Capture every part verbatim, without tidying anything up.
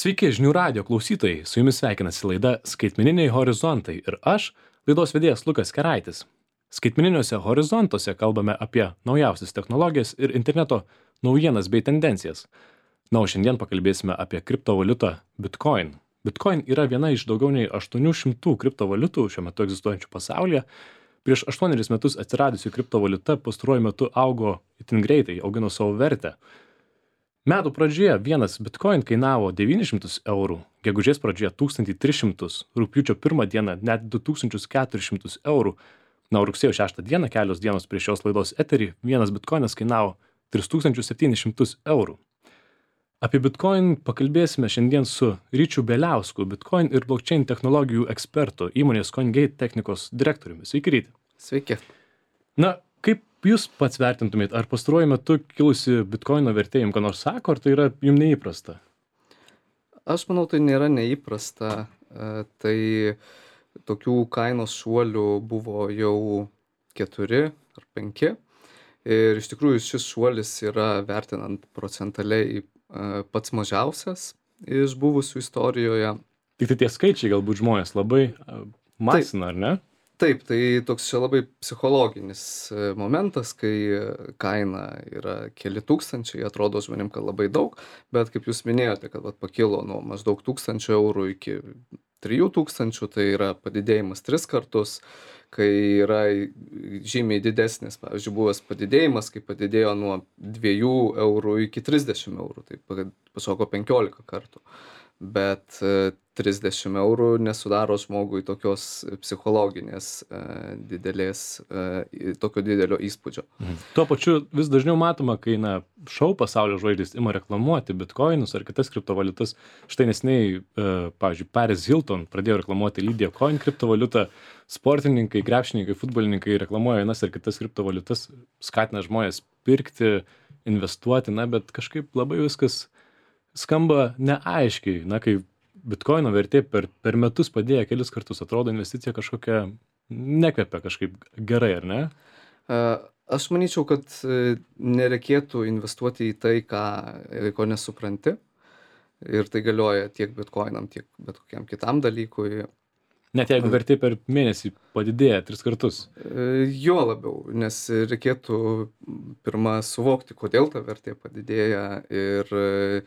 Sveiki, žinių radio klausytojai, su jumis sveikinasi laida Skaitmeniniai horizontai ir aš, laidos vedėjas Lukas Keraitis. Skaitmeniniuose horizontuose kalbame apie naujausias technologijas ir interneto naujienas bei tendencijas. Na, o šiandien pakalbėsime apie kriptovaliutą Bitcoin. Bitcoin yra viena iš daugiau nei aštuonių šimtų kriptovaliutų šiuo metu egzistuojančių pasaulyje. Prieš aštuonerius metus atsiradusi kriptovaliuta pastaruoju metu augo itin greitai, augino savo vertę. Metų pradžioje vienas Bitcoin kainavo devynis šimtus eurų, gegužės pradžioje tūkstantį tris šimtus, rugpjūčio pirmą dieną net du tūkstančius keturis šimtus eurų. Na, o rugsėjo šeštą dieną, kelios dienos prieš šios laidos eterį, vienas Bitcoinas kainavo tris tūkstančius septynis šimtus eurų. Apie Bitcoin pakalbėsime šiandien su Ryčiu Beliausku, Bitcoin ir blockchain technologijų ekspertu, įmonės CoinGate technikos direktoriumi. Sveiki, Ryti. Sveiki. Na, kaip jūs pats vertintumėt, ar pastaruoju metu kilusi Bitcoino vertė jums ką nors sako, ar tai yra jums neįprasta? Aš manau, tai nėra neįprasta. E, Tai tokių kainos šuolių buvo jau keturi ar penki. Ir iš tikrųjų šis šuolis yra vertinant procentaliai e, pats mažiausias iš buvusių istorijoje. Tik tai tie skaičiai galbūt žmonės labai a, masina, ar ne? Taip, tai toks čia labai psichologinis e, momentas, kai kaina yra keli tūkstančiai, atrodo žmonėm, kad labai daug, bet kaip jūs minėjote, kad vat, pakilo nuo maždaug tūkstančio eurų iki trijų tūkstančių, tai yra padidėjimas tris kartus, kai yra žymiai didesnis, pavyzdžiui, buvęs padidėjimas, kai padidėjo nuo dviejų eurų iki trisdešimt eurų, tai pašoko penkiolika kartų. Bet e, trisdešimt eurų nesudaro žmogui tokios psichologinės e, didelės, e, tokio didelio įspūdžio. Mhm. Tuo pačiu vis dažniau matoma, kai na, šou pasaulio žvaigždės ima reklamuoti bitcoinus ar kitas kriptovaliutas. Štai nesiniai, e, pavyzdžiui, Paris Hilton pradėjo reklamuoti Lydia Coin kriptovaliutą, sportininkai, krepšininkai, futbolininkai reklamuoja vienas ar kitas kriptovaliutas, skatina žmonės pirkti, investuoti, na, bet kažkaip labai viskas skamba neaiškiai, na, kai Bitcoino vertė per, per metus padėjo kelis kartus, atrodo investicija kažkokia nekvepia kažkaip gerai, ar ne? E, Aš manyčiau, kad e, nereikėtų investuoti į tai, ką, ko nesupranti. Ir tai galioja tiek bitcoinam, tiek bet kokiam kitam dalykui. Net jeigu vertė per mėnesį padidėja tris kartus. E, Jo labiau, nes reikėtų pirmą suvokti, kodėl ta vertė padidėja ir e,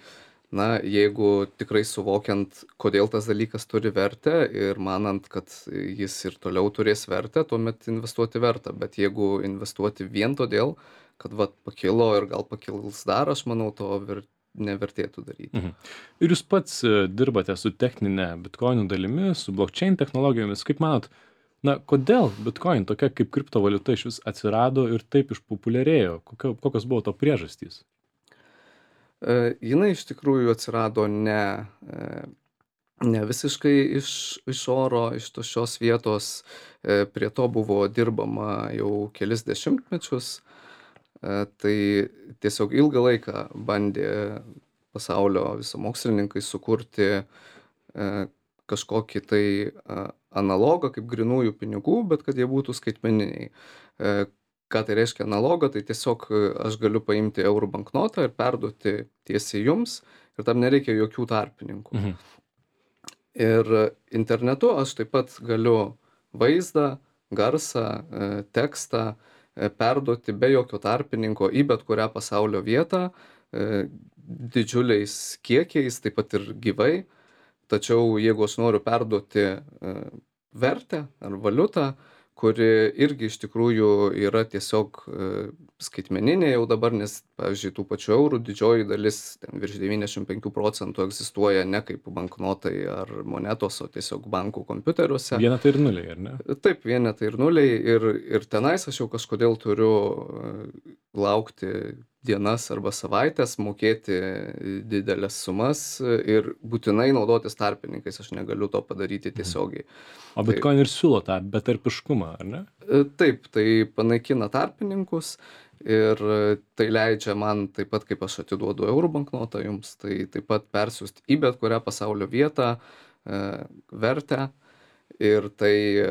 na, jeigu tikrai suvokiant, kodėl tas dalykas turi vertę ir manant, kad jis ir toliau turės vertę, tuomet investuoti verta. Bet jeigu investuoti vien todėl, kad vat, pakilo ir gal pakils dar, aš manau, to ver, nevertėtų daryti. Mhm. Ir jūs pats e, dirbate su techninė Bitcoinų dalimi, su blockchain technologijomis. Kaip manot, na, kodėl Bitcoin tokia kaip kriptovaliuta iš vis atsirado ir taip išpopuliarėjo? Kokio, kokios buvo to priežastys? E, jinai iš tikrųjų atsirado ne, e, ne visiškai iš, iš oro, iš tuščios vietos. E, prie to buvo dirbama jau kelis dešimtmečius. E, tai tiesiog ilgą laiką bandė pasaulio visi mokslininkai sukurti e, kažkokį tai a, analogą kaip grynųjų pinigų, bet kad jie būtų skaitmeniniai. E, Ką tai reiškia analogą, tai tiesiog aš galiu paimti eurų banknotą ir perduoti tiesiai jums ir tam nereikia jokių tarpininkų. Mhm. Ir internetu aš taip pat galiu vaizdą, garsą, e, tekstą e, perduoti be jokio tarpininko į bet kurią pasaulio vietą, e, didžiuliais kiekiais, taip pat ir gyvai. Tačiau jeigu aš noriu perduoti e, vertę ar valiutą, kuri irgi iš tikrųjų yra tiesiog e, skaitmeninė jau dabar, nes, pavyzdžiui, tų pačių eurų didžioji dalis, ten virš devyniasdešimt penki procentų egzistuoja ne kaip banknotai ar monetos, o tiesiog bankų kompiuteriuose. Vienetai ir nuliai, ar ne? Taip, vienetai ir nuliai ir, ir tenais aš jau kažkodėl turiu e, laukti dienas arba savaitės, mokėti didelės sumas ir būtinai naudotis tarpininkais, aš negaliu to padaryti tiesiogiai. O Bitcoin ir siūlo tą betarpiškumą, ar ne? E, Taip, tai panaikina tarpininkus ir tai leidžia man taip pat, kaip aš atiduodu eurų banknotą jums, tai taip pat persiųsti į bet kurią pasaulio vietą e, vertę ir tai e,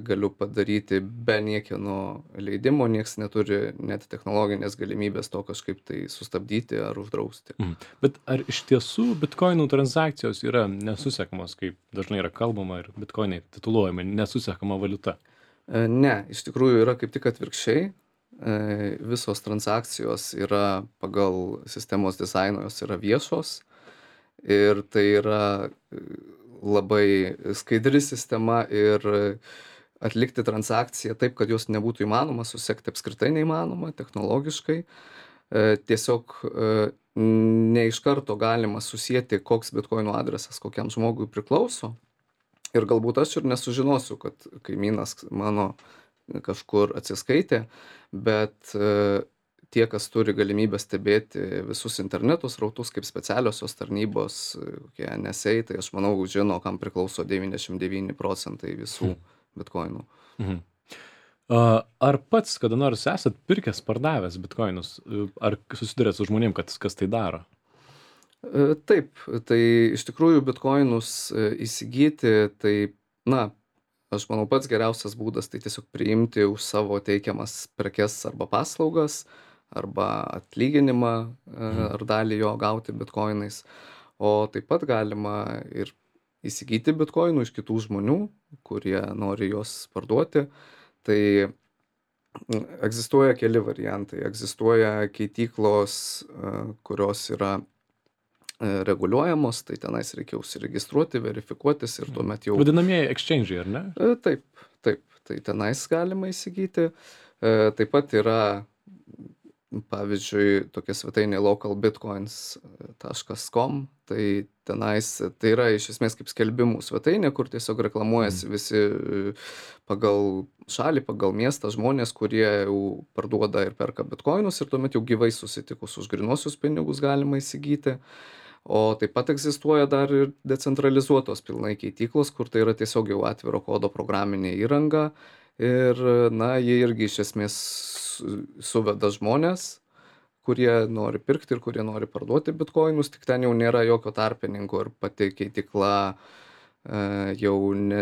galiu padaryti be niekieno leidimo, nieks neturi net technologinės galimybės to kažkaip tai sustabdyti ar uždrausti. Mhm. Bet ar iš tiesų bitkoinų transakcijos yra nesusekamos, kaip dažnai yra kalbama ir bitkoinai tituluojami nesusekama valiuta? E, Ne, iš tikrųjų yra kaip tik atvirkščiai. E, Visos transakcijos yra pagal sistemos dizainą, jos yra viešos ir tai yra e, labai skaidri sistema ir atlikti transakciją taip, kad jos nebūtų įmanoma susekti, apskritai neįmanoma technologiškai. E, Tiesiog e, ne iš karto galima susijęti, koks bitkoino adresas kokiam žmogui priklauso. Ir galbūt aš ir nesužinosiu, kad kaimynas mano kažkur atsiskaitė, bet e, tie, kas turi galimybę stebėti visus interneto srautus kaip specialiosios tarnybos, e, kokie N S A, tai aš manau, žino, kam priklauso devyniasdešimt devyni procentai visų bitkoinų. Mhm. A, Ar pats kada nors esat pirkęs, pardavęs bitkoinus? E, Ar susidurėt su žmonėm, kad, kas tai daro? E, Taip, tai iš tikrųjų bitkoinus e, įsigyti, tai, na, aš manau, pats geriausias būdas tai tiesiog priimti už savo teikiamas prekes arba paslaugas, arba atlyginimą e, Mhm. ar dalį jo gauti bitkoinais. O taip pat galima ir įsigyti bitkoinų iš kitų žmonių, kurie nori juos parduoti. Tai mm, egzistuoja keli variantai. Egzistuoja keityklos, e, kurios yra e, reguliuojamos, tai tenais reikia užsiregistruoti, verifikuotis ir tuomet jau Vadinamieji exchange'ai, ar ne? E, Taip, taip, tai tenais galima įsigyti. E, Taip pat yra, m, pavyzdžiui, tokia svetainė localbitcoins taškas com, tai tenais, tai yra iš esmės kaip skelbimų svetainė, kur tiesiog reklamuojasi visi e, pagal šalį, pagal miestą žmonės, kurie jau parduoda ir perka bitcoinus ir tuomet jau gyvai susitikus už grynuosius pinigus galima įsigyti. O taip pat egzistuoja dar ir decentralizuotos pilnai keityklos, kur tai yra tiesiog jau atviro kodo programinė įranga ir, na, jie irgi iš esmės su- suveda žmonės, kurie nori pirkti ir kurie nori parduoti bitkoinus, tik ten jau nėra jokio tarpininko ir pati keitykla e, jau ne,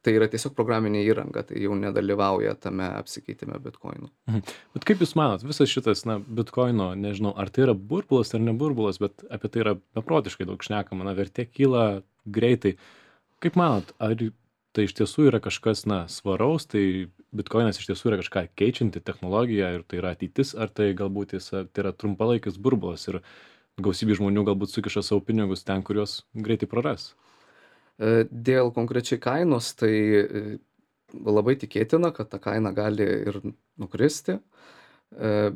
tai yra tiesiog programinė įranga, tai jau nedalyvauja tame apsikeitime bitkoinų. Mhm. Bet kaip Jūs manot, visas šitas, na, bitkoino, nežinau, ar tai yra burbulas ar ne burbulas, bet apie tai yra beprotiškai daug šnekama, na, vertė kyla greitai. Kaip manot, ar tai iš tiesų yra kažkas, na, svaraus, tai bitkoinas iš tiesų yra kažką keičianti technologija ir tai yra ateitis, ar tai galbūt jis, tai yra trumpalaikis burbulas ir gausybė žmonių galbūt sukiša savo pinigus ten, kur juos greitai praras? E, Dėl konkrečiai kainos, tai e, labai tikėtina, kad ta kaina gali ir nukristi, e,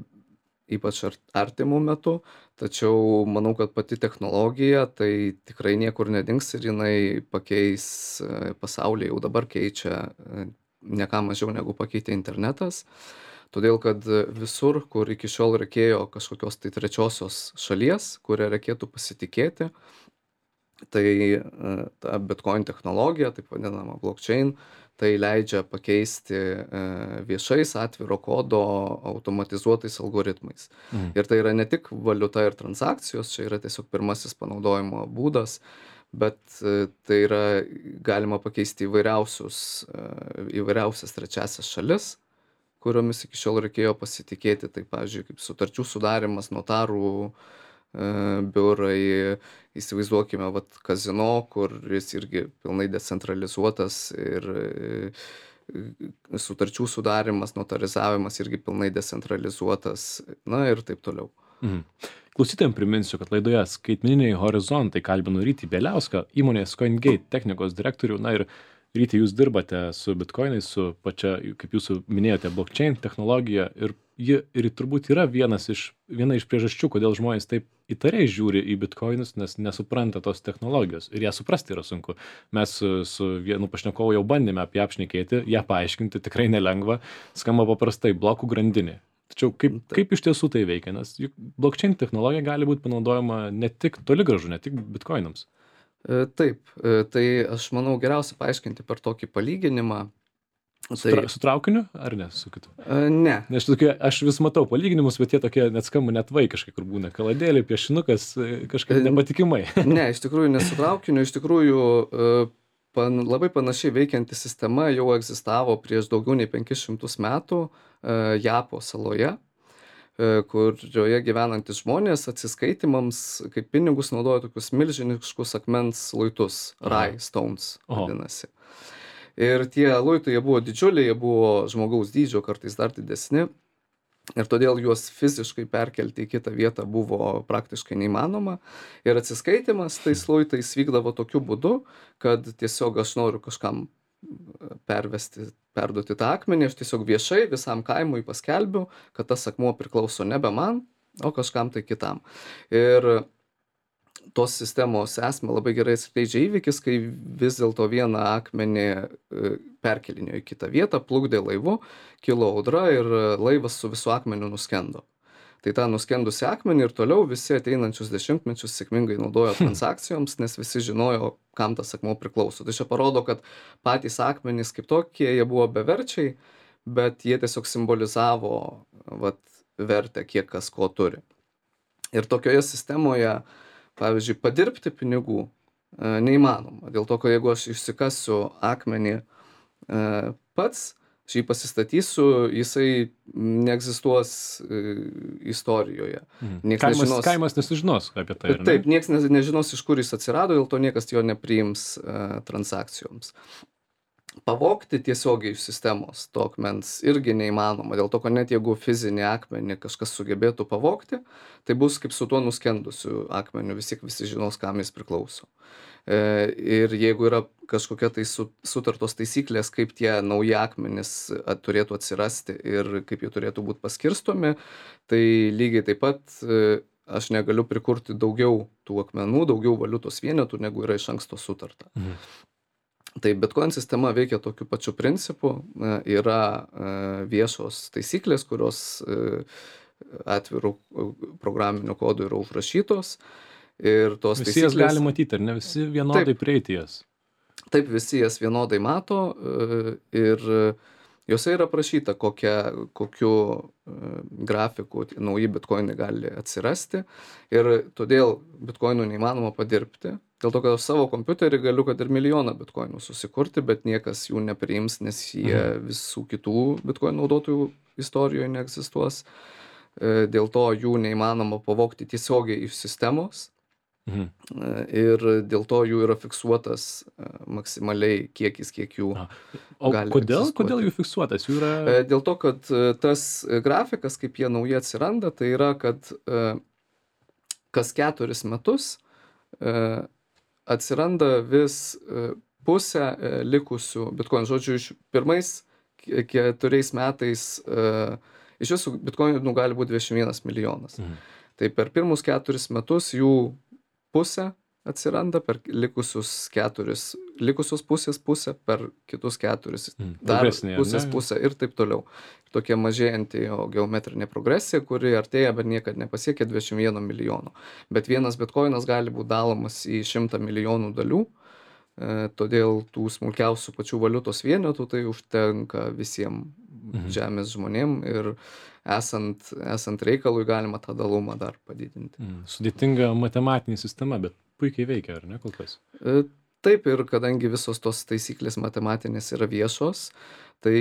ypač ar- artimų metų, tačiau manau, kad pati technologija tai tikrai niekur nedings ir jinai pakeis e, pasaulį, jau dabar keičia e, ne ką mažiau negu pakeitė internetas. Todėl, kad visur, kur iki šiol reikėjo kažkokios tai trečiosios šalies, kurią reikėtų pasitikėti, tai e, ta bitcoin technologija, taip vadinama blockchain, tai leidžia pakeisti e, viešais atviro kodo automatizuotais algoritmais. Mhm. Ir tai yra ne tik valiuta ir transakcijos, čia yra tiesiog pirmasis panaudojimo būdas, bet e, tai yra galima pakeisti įvairiausius, e, įvairiausias trečiasias šalis, kuriomis iki šiol reikėjo pasitikėti. Tai, pavyzdžiui, kaip sutarčių sudarimas, notarų e, biurai, įsivaizduokime, vat kazino, kuris irgi pilnai decentralizuotas ir e, sutarčių sudarimas, notarizavimas irgi pilnai decentralizuotas, na ir taip toliau. Mhm. Klausytojams priminsiu, kad laidoje skaitmeniniai horizontai kalbinu Rytį Bieliauską, įmonės CoinGate technikos direktorių. Na ir Ryti, jūs dirbate su bitkoinais, su pačia, kaip jūs minėjote, blockchain technologija ir ji ir turbūt yra vienas iš, viena iš priežasčių, kodėl žmonės taip įtariai žiūri į bitkoinus, nes nesupranta tos technologijos ir ją suprasti yra sunku. Mes su, su vienu pašnekovu jau bandėme apie ją apšnekėti, ją paaiškinti, tikrai nelengva, skamba paprastai blokų grandinė. Tačiau kaip, kaip iš tiesų tai veikia, nes juk blockchain technologija gali būti panaudojama ne tik toli gražu, ne tik bitkoinams. E, Taip, e, tai aš manau geriausia paaiškinti per tokį palyginimą. Su, Tai tra, su traukiniu ar ne su kitu? e, ne, Nes tokie, aš vis matau palyginimus, bet jie tokie net skamba net vaikiškai, kur būna kaladėlė, piešinukas, e, kažkaip E, nepatikimai. ne, iš tikrųjų nesu traukiniu, iš tikrųjų e, pan labai panašiai veikianti sistema jau egzistavo prieš daugiau nei penkis šimtus metų, e, Japo saloje, e, kurioje gyvenantys žmonės atsiskaitymams kaip pinigus naudojo tokius milžiniškus akmens luitus, Aha. Rai stones Oho. vadinasi. Ir tie luitai, jie buvo didžiuliai, jie buvo žmogaus dydžio, kartais dar didesni. Ir todėl juos fiziškai perkelti į kitą vietą buvo praktiškai neįmanoma. Ir atsiskaitimas tais luitais vykdavo tokiu būdu, kad tiesiog aš noriu kažkam e, pervesti, perduoti tą akmenį, aš tiesiog viešai visam kaimui paskelbiu, kad tas akmuo priklauso nebe man, o kažkam tai kitam. Ir tos sistemos esmę labai gerai atskleidžia įvykis, kai vis dėlto vieną akmenį e, perkelinėjo į kitą vietą, plukdė laivu, kilo audra ir laivas su visu akmeniu nuskendo. Tai tą nuskendusi akmenį ir toliau visi ateinančius dešimtmečius sėkmingai naudojo transakcijoms, nes visi žinojo, kam tas akmuo priklauso. Tai čia parodo, kad patys akmenys kaip tokie, jie buvo beverčiai, bet jie tiesiog simbolizavo vat, vertę, kiek kas ko turi. Ir tokioje sistemoje, pavyzdžiui, padirbti pinigų e, neįmanoma. Dėl to, kad jeigu aš išsikasiu akmenį e, pats, aš jį pasistatysiu, jisai neegzistuos e, istorijoje. Mhm. Nieks Kaimas, nežinos, kaimas nesužinos apie tai, ar ne? taip, nieks ne- nežinos, iš kur jis atsirado, dėl to niekas jo nepriims e, transakcijoms. Pavogti tiesiogiai iš sistemos to akmens irgi neįmanoma, dėl to, kad net jeigu fizinį akmenį kažkas sugebėtų pavogti, tai bus kaip su tuo nuskendusiu akmeniu, vis tiek visi žinos, kam jis priklauso. E, ir jeigu yra kažkokia tai su, sutartos taisyklės, kaip tie nauji akmenys at, turėtų atsirasti ir kaip jie turėtų būti paskirstomi, tai lygiai taip pat e, aš negaliu prikurti daugiau tų akmenų, daugiau valiutos vienetų, negu yra iš anksto sutarta. Mhm. Tai Bitcoin sistema veikia tokiu pačiu principu, e, yra e, viešos taisyklės, kurios e, atvirų e, programinių kodų yra užrašytos. Ir tos Visi jas taisyklės, gali matyti, ar ne? Visi vienodai prieiti jas. taip visi jas vienodai mato e, ir jose yra aprašyta, kokia, kokiu e, grafiku tie nauji bitkoinai gali atsirasti. Ir todėl bitkoinų neįmanoma padirbti. Dėl to, kad aš savo kompiuterį galiu, kad ir milijoną bitkoinų susikurti, bet niekas jų nepriims, nes jie Mhm. visų kitų bitkoinų naudotojų istorijoje neegzistuos. E, Dėl to jų neįmanoma pavogti tiesiogiai iš sistemos. Mhm. E, Ir dėl to jų yra fiksuotas e, maksimaliai kiekis, kiek jų. A. O gali kodėl, egzistuoti. kodėl jų fiksuotas? Jų yra... E, Dėl to, kad e, tas e, grafikas, kaip jie nauji atsiranda, tai yra, kad e, kas keturis metus e, atsiranda vis e, pusę e, likusių bitkoinų. Žodžiu, iš pirmais ke- keturiais metais e, iš visų bitkoinų gali būti dvidešimt vienas milijonas. Mhm. Tai per pirmus keturis metus jų pusė atsiranda, per likusius keturis, likusios pusės pusė, per kitus keturis Mhm. dar Progresinė, ar pusės ne? pusė ir taip toliau. Tokia mažėjanti jo geometrinė progresija, kuri artėja, bet niekad nepasiekia dvidešimt vieno milijono. Bet vienas bitkoinas gali būti dalomas į šimtą milijonų dalių, e, todėl tų smulkiausių pačių valiutos vienetų tai užtenka visiems Mhm. žemės žmonėm ir esant, esant reikalui galima tą dalumą dar padidinti. Mhm. Sudėtinga matematinė sistema, bet puikiai veikia, ar ne, kol kas? E, Taip, ir kadangi visos tos taisyklės matematinės yra viešos, tai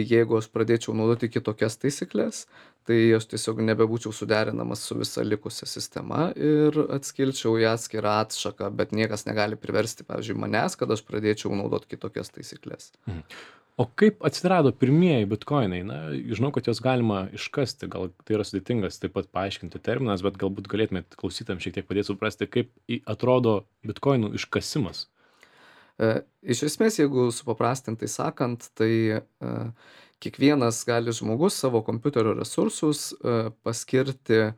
jeigu aš pradėčiau naudoti kitokias taisyklės, tai aš tiesiog nebebūčiau suderinamas su visa likusia sistema ir atskilčiau į atskirą atšaką, bet niekas negali priversti, pavyzdžiui, manęs, kad aš pradėčiau naudoti kitokias taisyklės. Mhm. O kaip atsirado pirmieji bitkoinai? Na, žinau, kad juos galima iškasti, gal tai yra sudėtingas taip pat paaiškinti terminas, bet galbūt galėtumėt klausytam šiek tiek padėti suprasti, kaip į- atrodo bitkoinų iškasimas. E, Iš esmės, jeigu supaprastintai sakant, tai e, kiekvienas gali žmogus savo kompiuterio resursus e, paskirti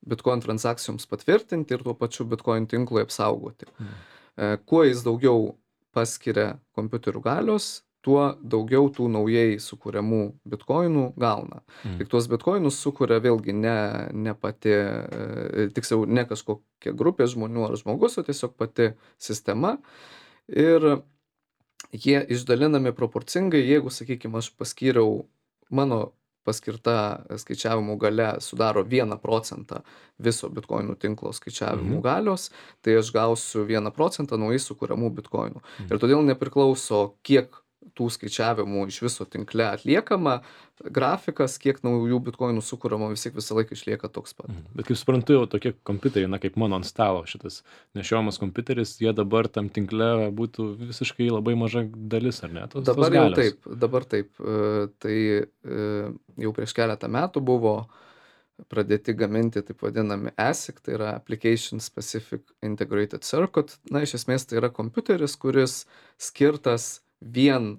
bitcoin transakcijoms patvirtinti ir tuo pačiu bitcoin tinklui apsaugoti. Mhm. E, Kuo jis daugiau paskiria kompiuterių galios, tuo daugiau tų naujai sukūriamų bitkoinų gauna. Mhm. Tik tuos bitkoinus sukuria vėlgi ne, ne pati, e, tiksliau ne kažkokia grupė žmonių ar žmogus, o tiesiog pati sistema. Ir jie išdalinami proporcingai, jeigu, sakykime, aš paskyriau, mano paskirta skaičiavimų galia sudaro vieną procentą viso bitkoinų tinklo skaičiavimų Mhm. galios, tai aš gausiu vieną procentą naujai sukuriamų bitkoinų. Mhm. Ir todėl nepriklauso, kiek tų skaičiavimų iš viso tinkle atliekama, grafikas, kiek naujų bitkoinų sukuriama, vis tiek visą laiką išlieka toks pat. Mhm. Bet kaip suprantu, jau tokie kompiuteriai, na kaip mano ant stalo šitas nešiojamas kompiuteris, jie dabar tam tinkle būtų visiškai labai maža dalis, ar ne? Tos, Dabar tos jau galios. taip, dabar taip. E, Tai e, jau prieš keletą metų buvo pradėti gaminti taip vadinami A S I C, tai yra Application Specific Integrated Circuit. Na, iš esmės tai yra kompiuteris, kuris skirtas vien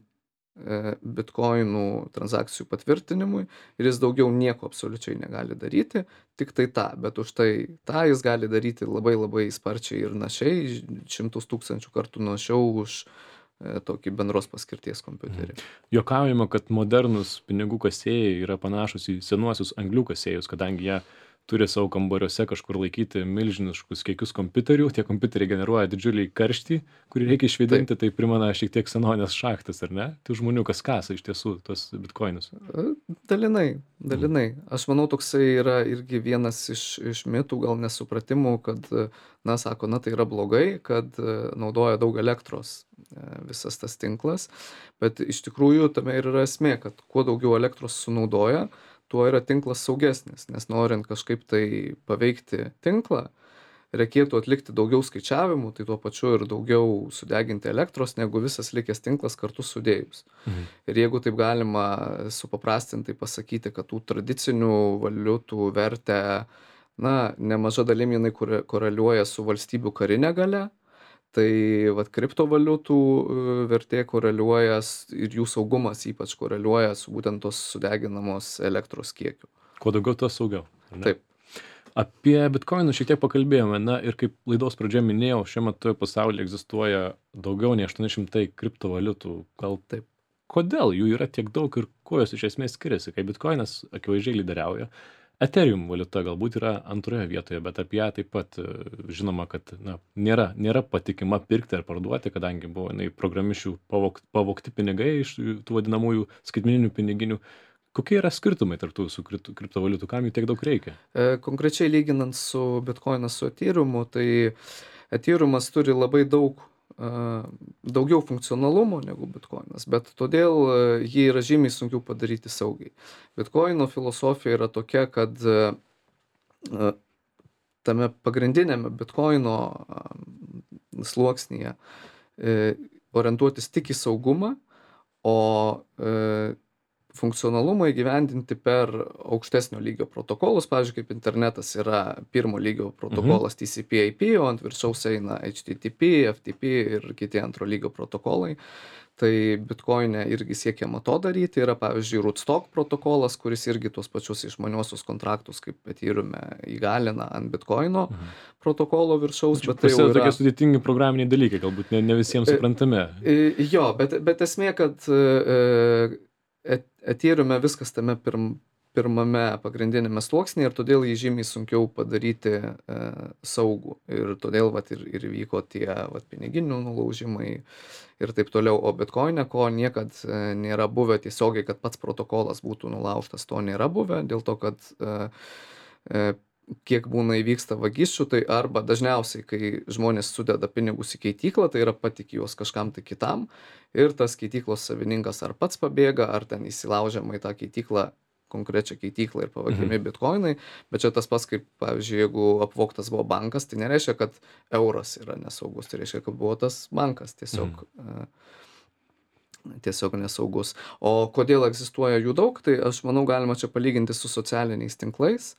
e, bitkoinų transakcijų patvirtinimui ir jis daugiau nieko absoliučiai negali daryti, tik tai tą, bet už tai tą jis gali daryti labai labai sparčiai ir našiai, šimtus tūkstančių kartų našiau už e, tokį bendros paskirties kompiuterį. Juokaujama, kad modernūs pinigų kasėjai yra panašus į senuosius anglių kasėjus, kadangi jie turi savo kambariuose kažkur laikyti milžiniškus kiekius kompiuterių, tie kompiuteriai generuoja didžiulį karštį, kurį reikia išvedinti, tai primena šiek tiek senovės šachtas, ar ne? Tų žmonių, kas kasa iš tiesų tos bitkoinus. E, Dalinai, dalinai. Aš manau, toksai yra irgi vienas iš, iš mitų, gal nesupratimų, kad, e, na, sako, na, tai yra blogai, kad e, naudoja daug elektros e, visas tas tinklas, bet iš tikrųjų tame ir yra esmė, kad kuo daugiau elektros sunaudoja, tuo yra tinklas saugesnis, nes norint kažkaip tai paveikti tinklą, reikėtų atlikti daugiau skaičiavimų, tai tuo pačiu ir daugiau sudeginti elektros, negu visas likęs tinklas kartu sudėjus. Mhm. Ir jeigu taip galima supaprastintai pasakyti, kad tų tradicinių valiutų vertę, na, nemaža dalim jinai kore- koreliuoja su valstybių karinė galia, tai vat kriptovaliutų e, vertė koreliuoja s- ir jų saugumas ypač koreliuoja su būtent tos sudeginamos elektros kiekiu. Kuo daugiau, tuo saugiau. ar ne? Taip. Apie bitkoinus šiek tiek pakalbėjome, na ir kaip laidos pradžioje minėjau, šiuo metu pasaulyje egzistuoja daugiau nei aštuoni šimtai kriptovaliutų. Gal Taip. kodėl jų yra tiek daug ir kuo jos iš esmės skiriasi, kai bitkoinas akivaizdžiai lyderiauja? Ethereum valiuta galbūt yra antroje vietoje, bet apie ją taip pat e, žinoma, kad na, nėra, nėra patikima pirkti ar parduoti, kadangi buvo jinai programišių pavok, pavokti pinigai iš tų vadinamųjų skaitmeninių piniginių. Kokie yra skirtumai tarp tų su kripto- kriptovaliutų, kam jų tiek daug reikia? E, Konkrečiai lyginant su Bitcoinas su Ethereumu, tai Ethereumas turi labai daug, e, daugiau funkcionalumo negu Bitcoinas, bet todėl e, jį yra žymiai sunkiau padaryti saugiai. Bitcoino filosofija yra tokia, kad e, e, tame pagrindinėme Bitcoino e, sluoksnyje e, orientuotis tik į saugumą, o e, funkcionalumą įgyvendinti per aukštesnio lygio protokolus, pavyzdžiui, kaip internetas yra pirmo lygio protokolas T C P I P, o ant viršaus eina H T T P, F T P ir kiti antro lygio protokolai. Tai Bitcoin'e irgi siekiama to daryti. Yra, pavyzdžiui, Rootstock protokolas, kuris irgi tuos pačius išmaniuosius kontraktus, kaip Ethereume, įgalina ant Bitcoino protokolo viršaus, bet tai jau Prasideda yra... tokie sudėtingi programiniai dalykai, galbūt ne, ne visiems E, suprantami. E, Jo, bet, bet esmė, kad e, et- Ethereume viskas tame pirm, pirmame pagrindinėme sluoksnyje ir todėl jį žymiai sunkiau padaryti e, saugų. Ir todėl vat, ir, ir vyko tie vat, piniginių nulaužimai ir taip toliau. O Bitcoin'e, ko niekad e, nėra buvę tiesiogiai, kad pats protokolas būtų nulaužtas, to nėra buvę, dėl to, kad e, e, kiek būna įvyksta vagysčių, tai arba dažniausiai, kai žmonės sudeda pinigus į keityklą, tai yra patikė juos kažkam tai kitam ir tas keityklos savininkas ar pats pabėga, ar ten įsilaužiama į tą keityklą, konkrečią keityklą ir pavagiami bitkoinai, bet čia tas pats, kaip, pavyzdžiui, jeigu apvogtas buvo bankas, tai nereiškia, kad euras yra nesaugus, tai reiškia, kad buvo tas bankas tiesiog, e, tiesiog nesaugus. O kodėl egzistuoja jų daug, tai aš manau galima čia palyginti su socialiniais tinklais.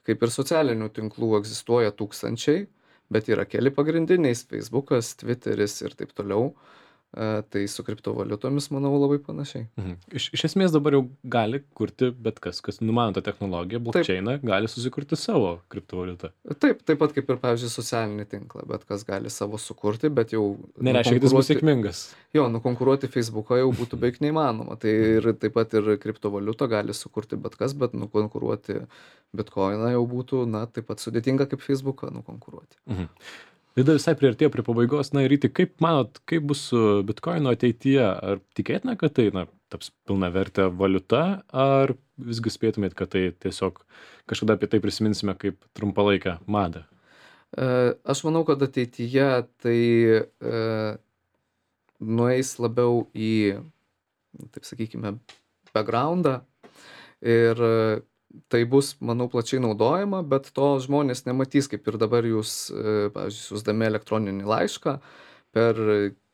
Kaip ir socialinių tinklų egzistuoja tūkstančiai, bet yra keli pagrindiniai - Facebookas, Twitteris ir taip toliau. E, Tai su kriptovaliutomis, manau, labai panašiai. Mhm. Iš, iš esmės dabar jau gali kurti bet kas, kas numano tą technologiją, blockchainą, gali susikurti savo kriptovaliutą. Taip, taip pat kaip ir, pavyzdžiui, socialinį tinklą, bet kas gali savo sukurti, bet jau... Nereiškia, kad jis bus nukonkuruoti- sėkmingas. Jo, nukonkuruoti Facebooką jau būtų beveik neįmanoma. Tai ir taip pat ir kriptovaliutą gali sukurti bet kas, bet nukonkuruoti Bitcoiną jau būtų, na, taip pat sudėtinga kaip Facebooką nukonkuruoti. Mhm. Laida visai priartėjo prie pabaigos. Na ir Ryti, kaip manot, kaip bus su Bitcoino ateityje? Ar tikėtina, kad tai na, taps pilna vertė valiuta, ar visgi spėtumėt, kad tai tiesiog kažkada apie tai prisiminsime kaip trumpalaikę madą? E, Aš manau, kad ateityje tai e, nueis labiau į, taip sakykime, backgroundą ir e, tai bus, manau, plačiai naudojama, bet to žmonės nematys, kaip ir dabar jūs, e, pavyzdžiui, siųsdami elektroninį laišką, per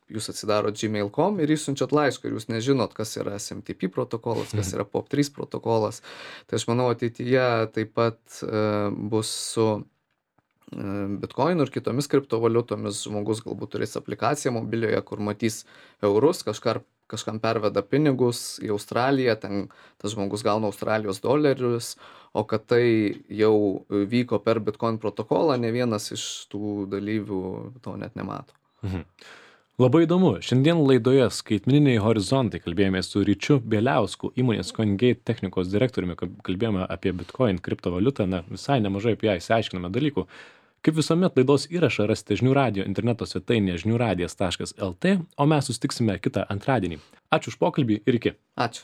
jūs atsidarot gmail taškas com ir išsiunčiat laišką ir jūs nežinot, kas yra S M T P protokolas, kas yra P O P trys protokolas. Tai aš manau, ateityje taip pat e, bus su e, Bitcoin ir kitomis kriptovaliutomis. Žmogus galbūt turės aplikaciją mobilioje, kur matys eurus, kažkar, kažkam perveda pinigus į Australiją, ten tas žmogus gauna Australijos dolerius, o kad tai jau vyko per Bitcoin protokolą, ne vienas iš tų dalyvių to net nemato. Mhm. Labai įdomu. Šiandien laidoje Skaitmeniniai horizontai kalbėjome su Ryčiu Bieliausku, įmonės CoinGate technikos direktoriumi, kalbėjome apie Bitcoin kriptovaliutą, na, visai nemažai apie ją išsiaiškiname dalykų. Kaip visuomet, laidos įrašą rasite žinių radijo interneto svetainėje žinių radijas taškas L T, o mes susitiksime kitą antradienį. Ačiū už pokalbį ir iki. Ačiū.